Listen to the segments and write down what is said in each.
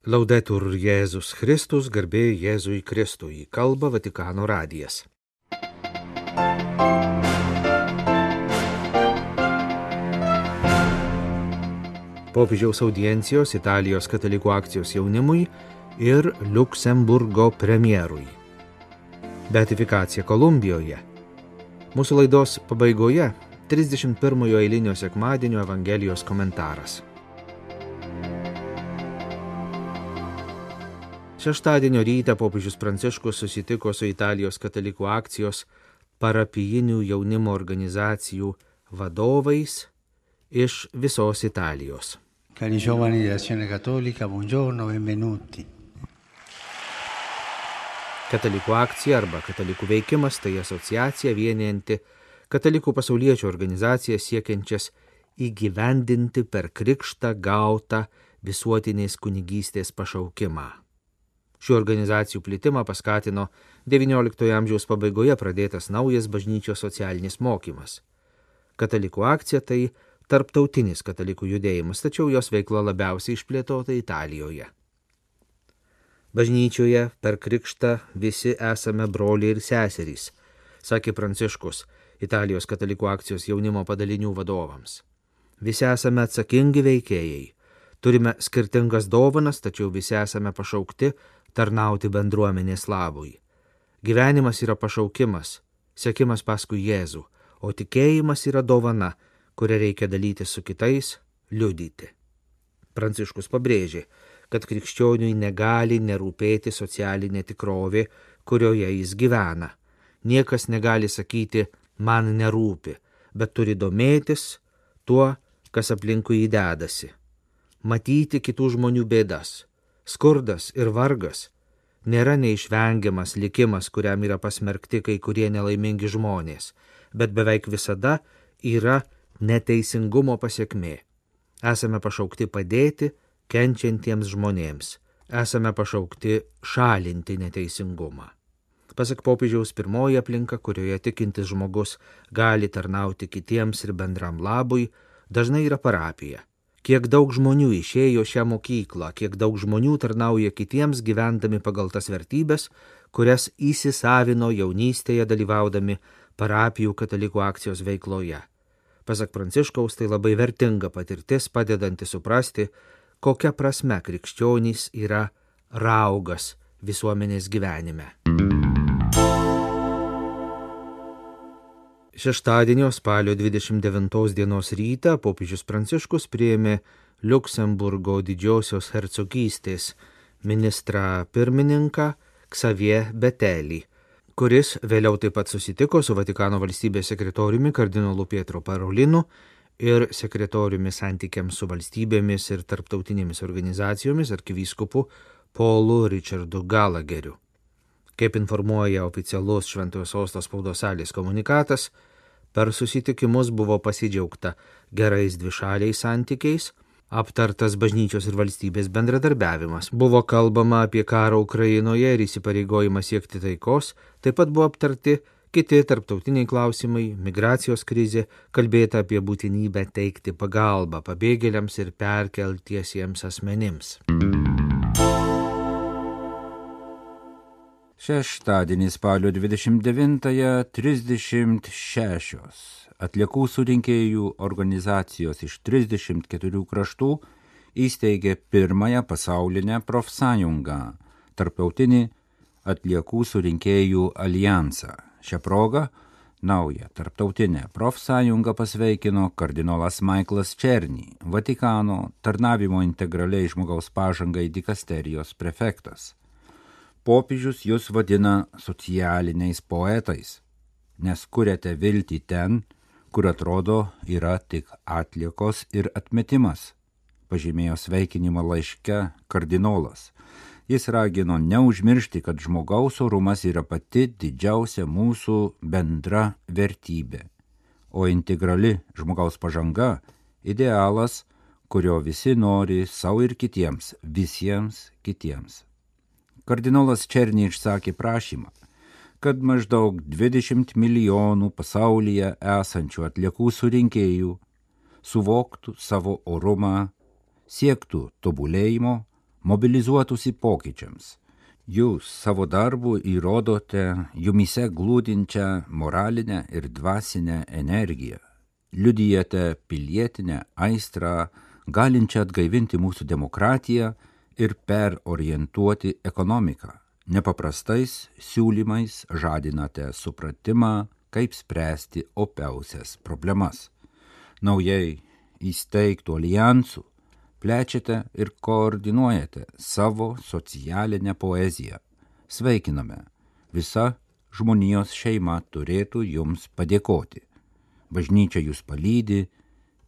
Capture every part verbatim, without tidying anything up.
Laudetur Jėzus Kristus, garbė Jėzui Kristui, kalba Vatikano radijas. Popiežiaus audiencijos Italijos katalikų akcijos jaunimui ir Liuksemburgo premjerui. Beatifikacija Kolumbijoje. Mūsų laidos pabaigoje trisdešimt pirmojo eilinio sekmadienio Evangelijos komentaras. Šeštadienio rytą popiežius Pranciškus susitiko su Italijos katalikų akcijos parapijinių jaunimo organizacijų vadovais iš visos Italijos. Cari giovani dell'Azione Cattolica, buongiorno, benvenuti. Katalikų akcija arba katalikų veikimas tai asociacija vienijanti katalikų pasauliečių organizacijas siekiančias įgyvendinti per krikštą gautą visuotinės kunigystės pašaukimą. Šių organizacijų plitimą paskatino devynioliktojo amžiaus pabaigoje pradėtas naujas bažnyčios socialinis mokymas. Katalikų akcija tai tarptautinis katalikų judėjimas, tačiau jos veikla labiausiai išplėtota Italijoje. Bažnyčioje per krikštą visi esame broliai ir seserys, sakė Pranciškus Italijos katalikų akcijos jaunimo padalinių vadovams. Visi esame atsakingi veikėjai, turime skirtingas dovanas, tačiau visi esame pašaukti tarnauti bendruomenės labui. Gyvenimas yra pašaukimas, sekimas paskui Jėzų, o tikėjimas yra dovana, kurią reikia dalyti su kitais, liudyti. Pranciškus pabrėžė, kad krikščioniui negali nerūpėti socialinė tikrovė, kurioje jis gyvena. Niekas negali sakyti, man nerūpi, bet turi domėtis tuo, kas aplinkui jį dedasi. Matyti kitų žmonių bėdas. Skurdas ir vargas nėra neišvengiamas likimas, kuriam yra pasmerkti kai kurie nelaimingi žmonės, bet beveik visada yra neteisingumo pasekmė. Esame pašaukti padėti kenčiantiems žmonėms, esame pašaukti šalinti neteisingumą. Pasak popiežiaus, pirmoji aplinka, kurioje tikintis žmogus gali tarnauti kitiems ir bendram labui, dažnai yra parapija. Kiek daug žmonių išėjo šią mokyklą, kiek daug žmonių tarnauja kitiems gyvendami pagal tas vertybės, kurias įsisavino jaunystėje dalyvaudami parapijų katalikų akcijos veikloje. Pasak Pranciškaus, tai labai vertinga patirtis, padedanti suprasti, kokia prasme krikščionys yra raugas visuomenės gyvenime. Šeštadienio spalio dvidešimt devintos dienos rytą popiežius Pranciškus priėmė Liuksemburgo didžiosios hercogystės ministrą pirmininką Xavier Bettelį, kuris vėliau taip pat susitiko su Vatikano valstybės sekretoriumi kardinolu Pietro Parolinu ir sekretoriumi santykiams su valstybėmis ir tarptautinėmis organizacijomis arkivyskupu Paulu Richardu Gallagheriu. Kaip informuoja oficialus Šventojo Sosto spaudos salės komunikatas, per susitikimus buvo pasidžiaugta gerais dvišaliais santykiais, aptartas bažnyčios ir valstybės bendradarbiavimas, buvo kalbama apie karą Ukrainoje ir įsipareigojimą siekti taikos, taip pat buvo aptarti kiti tarptautiniai klausimai, migracijos krizė, kalbėta apie būtinybę teikti pagalbą pabėgėliams ir perkeltiesiems asmenims. Šeštadienį spalio dvidešimt devintąją trisdešimt šešios atliekų surinkėjų organizacijos iš trisdešimt keturių kraštų įsteigė pirmąją pasaulinę profsąjungą, tarptautinį atliekų surinkėjų alijansą. Šią progą naują tarptautinę profsąjungą pasveikino kardinolas Michaelas Černy, Vatikano tarnavimo integraliai žmogaus pažangai dikasterijos prefektas. Popiežius jūs vadina socialiniais poetais, nes kuriate viltį ten, kur atrodo yra tik atliekos ir atmetimas, pažymėjo sveikinimo laiške kardinolas. Jis ragino neužmiršti, kad žmogaus orumas yra pati didžiausia mūsų bendra vertybė, o integrali žmogaus pažanga idealas, kurio visi nori savo ir kitiems, visiems kitiems. Kardinolas Černy išsakė prašymą, kad maždaug dvidešimt milijonų pasaulyje esančių atliekų surinkėjų suvoktų savo orumą, siektų tobulėjimo, mobilizuotųsi pokyčiams. Jūs savo darbu įrodote jumise glūdinčią moralinę ir dvasinę energiją, liudijate pilietinę aistrą, galinčią atgaivinti mūsų demokratiją ir perorientuoti ekonomiką. Nepaprastais siūlymais žadinate supratimą, kaip spręsti opiausias problemas. Naujai įsteigtų alijansų plečiate ir koordinuojate savo socialinę poeziją. Sveikiname. Visa žmonijos šeima turėtų jums padėkoti. Bažnyčia jūs palydi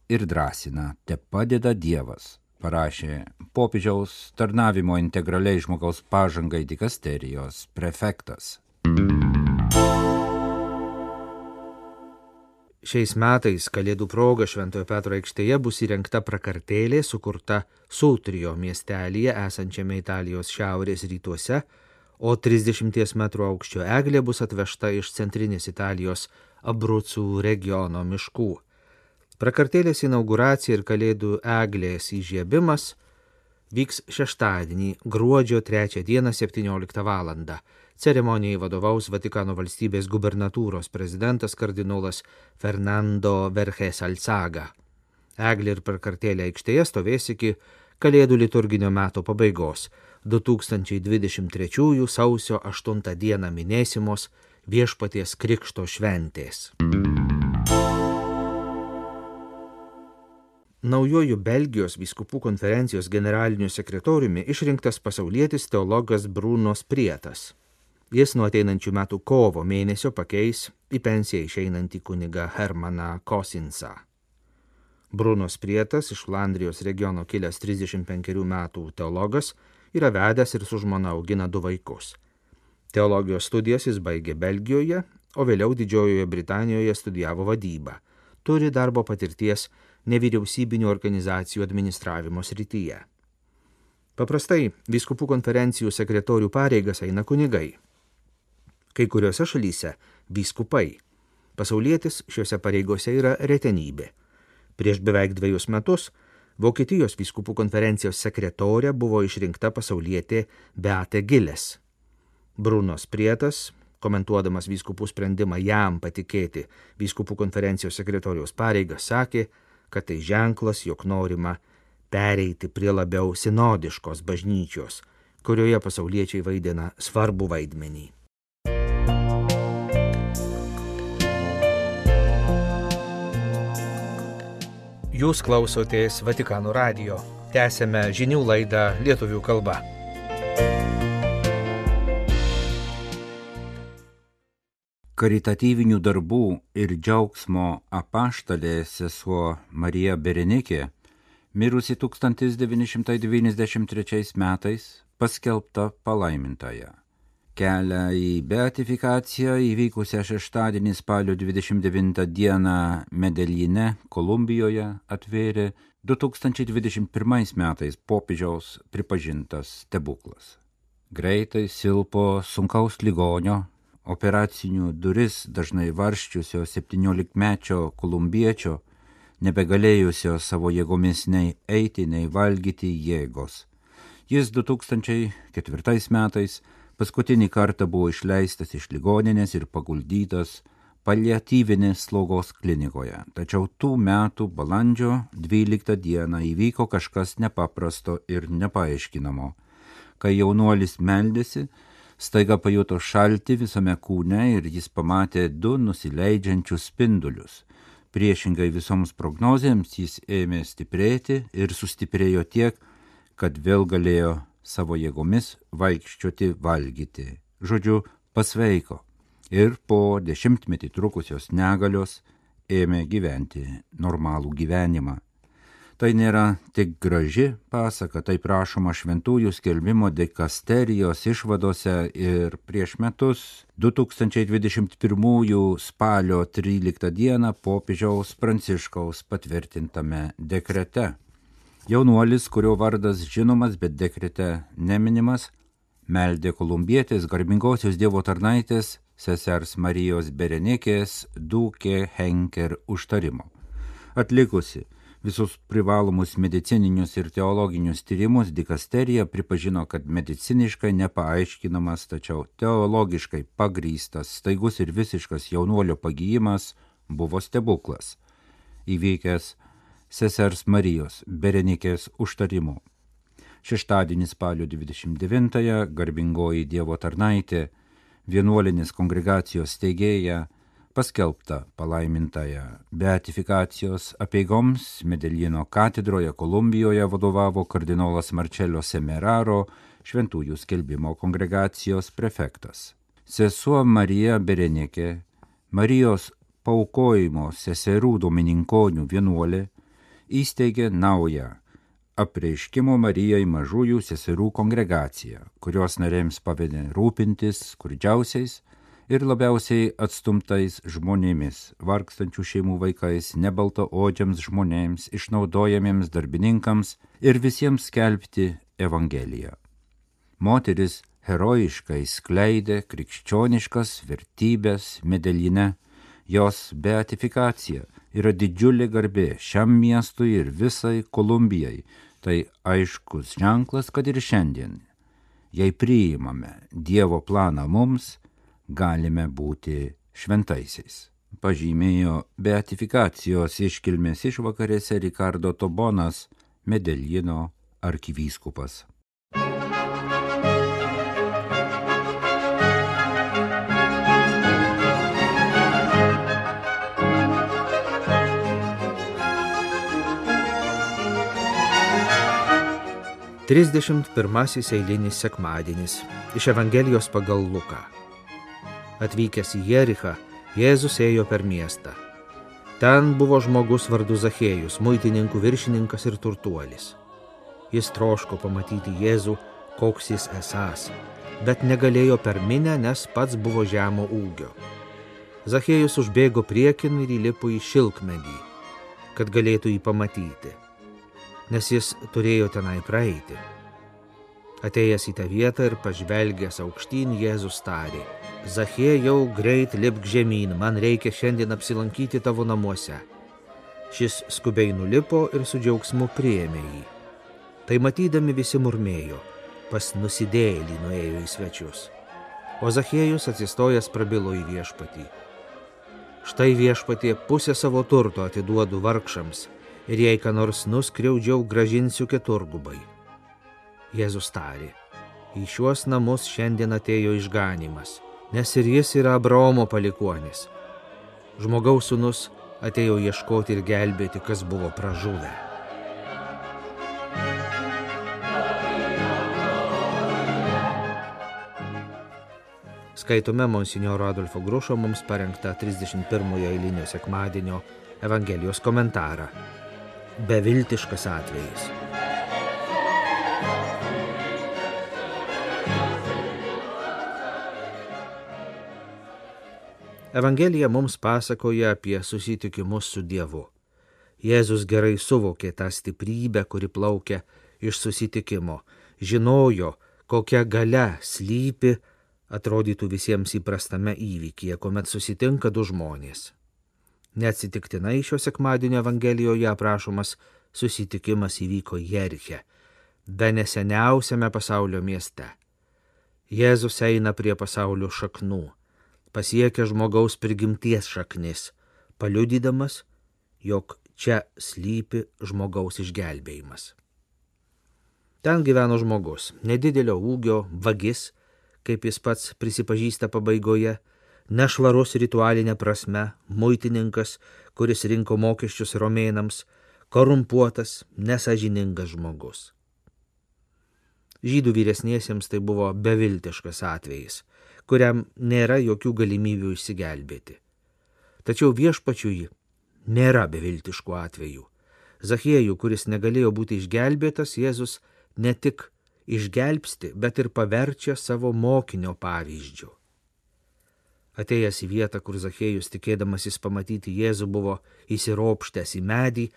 ir drąsina, te padeda Dievas, parašė popiežiaus tarnavimo integraliai žmogaus pažangai dikasterijos prefektas. Šiais metais Kalėdų proga Šventojo Petro aikštėje bus įrengta prakartėlė sukurta Sultrio miestelyje esančiame Italijos šiaurės rytuose, o trisdešimties metrų aukščio eglė bus atvežta iš centrinės Italijos Abrucų regiono miškų. Prakartėlės inauguracija ir Kalėdų eglės įžiebimas vyks šeštadienį, gruodžio trečią dieną septynioliktą valandą. Ceremonijai vadovaus Vatikano valstybės gubernatūros prezidentas kardinolas Fernando Verges Alzaga. Eglė ir prakartėlė aikštėje stovės iki Kalėdų liturginio meto pabaigos. du tūkstančiai dvidešimt trečiųjų sausio aštuntą dieną minėsimos Viešpaties Krikšto šventės. Naujuoju Belgijos vyskupų konferencijos generaliniu sekretoriumi išrinktas pasaulietis teologas Bruno Sprietas. Jis nuo ateinančių metų kovo mėnesio pakeis į pensiją išeinantį kunigą Hermaną Kosinsą. Bruno Sprietas, iš Flandrijos regiono kilęs trisdešimt penkerių metų teologas, yra vedęs ir su žmona augina du vaikus. Teologijos studijas jis baigė Belgijoje, o vėliau Didžiojoje Britanijoje studijavo vadybą. Turi darbo patirties nevyriausybinių organizacijų administravimo srityje. Paprastai vyskupų konferencijų sekretorių pareigas eina kunigai. Kai kuriuose šalyse vyskupai. Pasaulietis šiuose pareigose yra retenybė. Prieš beveik dvejus metus Vokietijos vyskupų konferencijos sekretorė buvo išrinkta pasaulietė Beate Giles. Bruno Sprietas, komentuodamas vyskupų sprendimą jam patikėti vyskupų konferencijos sekretoriaus pareigas, sakė, kad tai ženklas, jog norima pereiti prie labiau sinodiškos bažnyčios, kurioje pasauliečiai vaidina svarbų vaidmenį. Jūs klausotės Vatikano radijo. Tęsėme žinių laidą lietuvių kalba. Karitatyvinių darbų ir džiaugsmo apaštalė sesuo Marija Berenikė, mirusi tūkstantis devyni šimtai devyniasdešimt trečiais metais, paskelbta palaimintąja. Kelią į beatifikaciją įvykusią šeštadienį spalio dvidešimt devintą dieną Medeljine, Kolumbijoje, atvėrė du tūkstančiai dvidešimt pirmais metais popiežiaus pripažintas stebuklas. Greitai silpo sunkaus ligonio, operacinių duris dažnai varščiusio septyniolikmečio kolumbiečio, nebegalėjusio savo jėgomis nei eiti, nei valgyti jėgos. Jis du tūkstančiai ketvirtais metais paskutinį kartą buvo išleistas iš ligoninės ir paguldytas paliatyvinės slaugos klinikoje. Tačiau tų metų balandžio dvyliktą dieną įvyko kažkas nepaprasto ir nepaaiškinamo. Kai jaunuolis meldėsi, staiga pajuto šaltį visame kūne ir jis pamatė du nusileidžiančius spindulius. Priešingai visoms prognozėms jis ėmė stiprėti ir sustiprėjo tiek, kad vėl galėjo savo jėgomis vaikščioti, valgyti. Žodžiu, pasveiko ir po dešimtmetį trukusios negalios ėmė gyventi normalų gyvenimą. Tai nėra tik graži pasaka, tai prašoma šventųjų skelbimo dikasterijos išvadose ir prieš metus du tūkstančiai dvidešimt pirmųjų spalio tryliktą dieną popiežiaus Pranciškaus patvirtintame dekrete. Jaunuolis, kurio vardas žinomas, bet dekrete neminimas, meldė kolumbietės garbingosios Dievo tarnaitės sesers Marijos Berenikės Dukė Henker užtarimo. Atlikusi Visus privalomus medicininius ir teologinius tyrimus dikasterija pripažino, kad mediciniškai nepaaiškinamas, tačiau teologiškai pagrįstas, staigus ir visiškas jaunuolio pagijimas buvo stebuklas, įvykęs sesers Marijos Berenikės užtarimu. Šeštadienį spalio dvidešimt devintąją garbingoji Dievo tarnaitė, vienuolinės kongregacijos steigėja, paskelbta palaimintąją beatifikacijos apeigoms Medeljino katedroje Kolumbijoje vadovavo kardinolas Marcello Semeraro, šventųjų skelbimo kongregacijos prefektas. Sesuo Marija Berenikė, Marijos paaukojimo seserų domininkonių vienuolė, įsteigė naują apreiškimo Marijai mažųjų seserų kongregaciją, kurios narėms pavedė rūpintis skurdžiausiais ir labiausiai atstumtais žmonėmis, vargstančių šeimų vaikais, nebaltaodžiams žmonėms, išnaudojamiems darbininkams ir visiems skelbti Evangeliją. Moteris herojiškai skleidė krikščioniškas vertybės Medeljine. Jos beatifikacija yra didžiulė garbė šiam miestui ir visai Kolumbijai. Tai aiškus ženklas, kad ir šiandien, jei priimame Dievo planą mums, galime būti šventaisiais. Pažymėjo beatifikacijos iškilmės išvakarėse Ricardo Tobonas, Medeljino arkivyskupas. Trisdešimt pirmasis eilinis sekmadienis iš Evangelijos pagal Luką. Atvykęs į Jerichą, Jėzus ėjo per miestą. Ten buvo žmogus vardu Zachėjus, muitininkų viršininkas ir turtuolis. Jis troško pamatyti Jėzų, koks jis esąs, bet negalėjo per minią, nes pats buvo žemo ūgio. Zachėjus užbėgo priekin ir įlipo į šilkmedį, kad galėtų jį pamatyti, nes jis turėjo tenai praeiti. Atėjęs į tą vietą ir pažvelgęs aukštyn, Jėzus tarė: Zachėjau, greit lipk žemyn, man reikia šiandien apsilankyti tavo namuose. Šis skubiai nulipo ir su džiaugsmu priėmė jį. Tai matydami visi murmėjo: pas nusidėjėlį nuėjo į svečius. O Zachėjus atsistojęs prabilo į viešpatį: štai viešpatie, pusę savo turto atiduodu vargšams, ir jei ką nors nuskriaudžiau, gražinsiu keturgubai. Jėzus tarė: į šiuos namus šiandien atėjo išganymas, nes ir jis yra Abraomo palikuonis. Žmogaus sūnus atėjo ieškoti ir gelbėti, kas buvo pražuvę. Skaitome monsinjoro Adolfo Grušo mums parengtą trisdešimt pirmojo eilinio sekmadienio Evangelijos komentarą. Beviltiškas atvejis. Evangelija mums pasakoja apie susitikimus su Dievu. Jėzus gerai suvokė tą stiprybę, kuri plaukia iš susitikimo, žinojo, kokia galia slypi, atrodytų visiems įprastame įvykyje, kuomet susitinka du žmonės. Neatsitiktinai šio sekmadienio Evangelijoje aprašomas susitikimas įvyko Jeriche, bene seniausiame pasaulio mieste. Jėzus eina prie pasaulio šaknų, pasiekia žmogaus prigimties šaknis, paliudydamas, jog čia slypi žmogaus išgelbėjimas. Ten gyveno žmogus, nedidelio ūgio, vagis, kaip jis pats prisipažįsta pabaigoje, nešvarus ritualinė prasme, muitininkas, kuris rinko mokesčius romėnams, korumpuotas, nesąžiningas žmogus. Žydų vyresniesiems tai buvo beviltiškas atvejis, kuriam nėra jokių galimybių išsigelbėti. Tačiau viešpačiui nėra beviltiškų atvejų. Zachiejų, kuris negalėjo būti išgelbėtas, Jėzus ne tik išgelbsti, bet ir paverčia savo mokinio pavyzdžiu. Atėjęs į vietą, kur Zachiejus, tikėdamasis pamatyti Jėzų, buvo įsiropštęs į medį,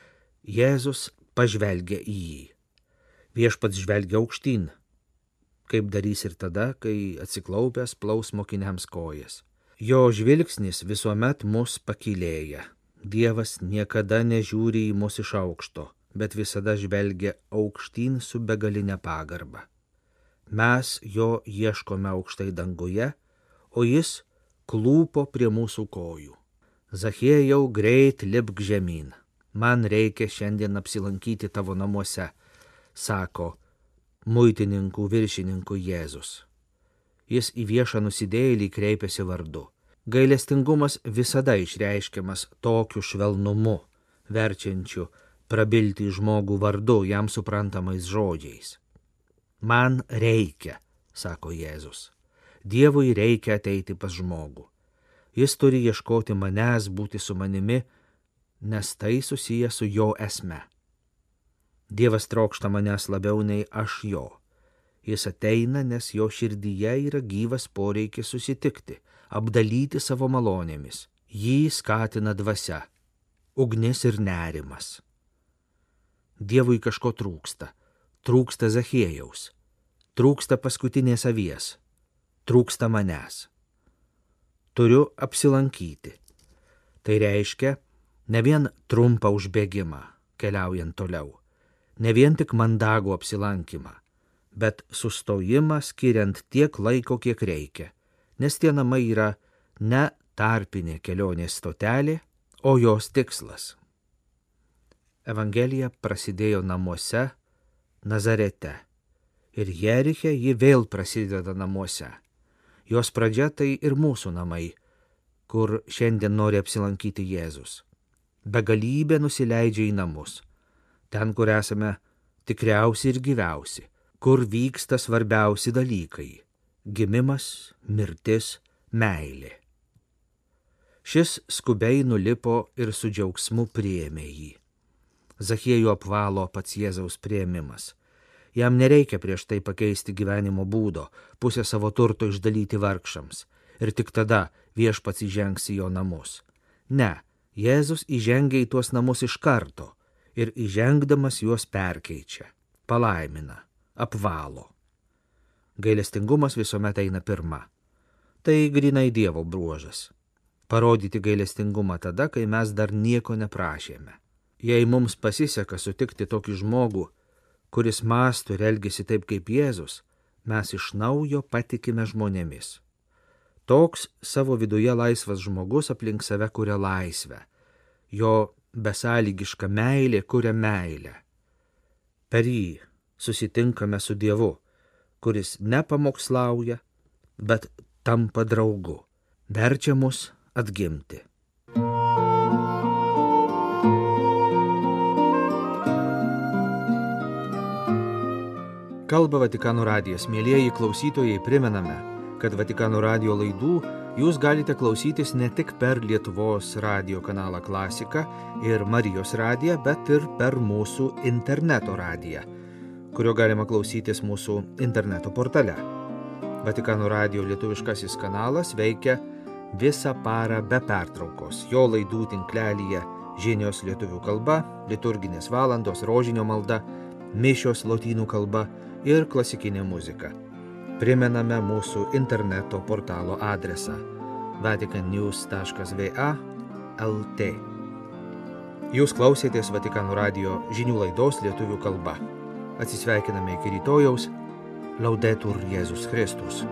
Jėzus pažvelgia į jį. Viešpats žvelgia aukštyn, kaip darys ir tada, kai atsiklaupęs plaus mokiniams kojas. Jo žvilgsnis visuomet mus pakylėja, Dievas niekada nežiūri į mus iš aukšto, bet visada žvelgia aukštyn su begalinė pagarba. Mes jo ieškome aukštai danguje, o jis klūpo prie mūsų kojų. Zachiejau, greit lipk žemyn, man reikia šiandien apsilankyti tavo namuose, sako muitininkų viršininkų Jėzus. Jis į viešą nusidėjėlį kreipiasi vardu. Gailestingumas visada išreiškiamas tokiu švelnumu, verčiančiu prabilti žmogų vardu jam suprantamais žodžiais. Man reikia, sako Jėzus. Dievui reikia ateiti pas žmogų. Jis turi ieškoti manęs, būti su manimi, nes tai susiję su jo esme. Dievas trokšta manęs labiau nei aš jo. Jis ateina, nes jo širdyje yra gyvas poreikis susitikti, apdalyti savo malonėmis. Jį skatina dvasia, ugnis ir nerimas. Dievui kažko trūksta. Trūksta Zachiejaus. Trūksta paskutinės avies. Trūksta manęs. Turiu apsilankyti. Tai reiškia ne vien trumpą užbėgimą, keliaujant toliau, ne vien tik mandagų apsilankymą, bet sustojimą skiriant tiek laiko, kiek reikia, nes tie namai yra ne tarpinė kelionės stotelė, o jos tikslas. Evangelija prasidėjo namuose, Nazarete, ir Jeriche ji vėl prasideda namuose. Jos pradžia tai ir mūsų namai, kur šiandien nori apsilankyti Jėzus. Begalybė nusileidžia į namus, ten, kur esame tikriausi ir gyviausi, kur vyksta svarbiausi dalykai – gimimas, mirtis, meilė. Šis skubiai nulipo ir su džiaugsmu priėmė jį. Zachiejų apvalo pats Jėzaus priėmimas. Jam nereikia prieš tai pakeisti gyvenimo būdo, pusę savo turto išdalyti vargšams ir tik tada viešpats įžengs į jo namus. Ne, Jėzus įžengia į tuos namus iš karto ir įžengdamas juos perkeičia, palaimina, apvalo. Gailestingumas visuomet eina pirma. Tai grynai Dievo bruožas. Parodyti gailestingumą tada, kai mes dar nieko neprašėme. Jei mums pasiseka sutikti tokį žmogų, kuris mąsto ir elgesi taip kaip Jėzus, mes iš naujo patikime žmonėmis. Toks savo viduje laisvas žmogus aplink save kuria laisvę. Jo besąlygiška meilė kuria meilę. Per jį susitinkame su Dievu, kuris nepamokslauja, bet tampa draugu, verčia mus atgimti. Kalba Vatikano radijas. Mielieji klausytojai, primename, kad Vatikano radijo laidų jūs galite klausytis ne tik per Lietuvos radijo kanalą Klasika ir Marijos radiją, bet ir per mūsų interneto radiją, kurio galima klausytis mūsų interneto portale. Vatikano radijo lietuviškasis kanalas veikia visą parą be pertraukos. Jo laidų tinklelyje žinios lietuvių kalba, liturginės valandos, rožinio malda, mišios lotynų kalba ir klasikinė muzika. Primename mūsų interneto portalo adresą vatican news taškas v a taškas l t. Jūs klausėtės Vatikano radijo žinių laidos lietuvių kalba. Atsisveikiname iki rytojaus. Laudetur Jėzus Kristus.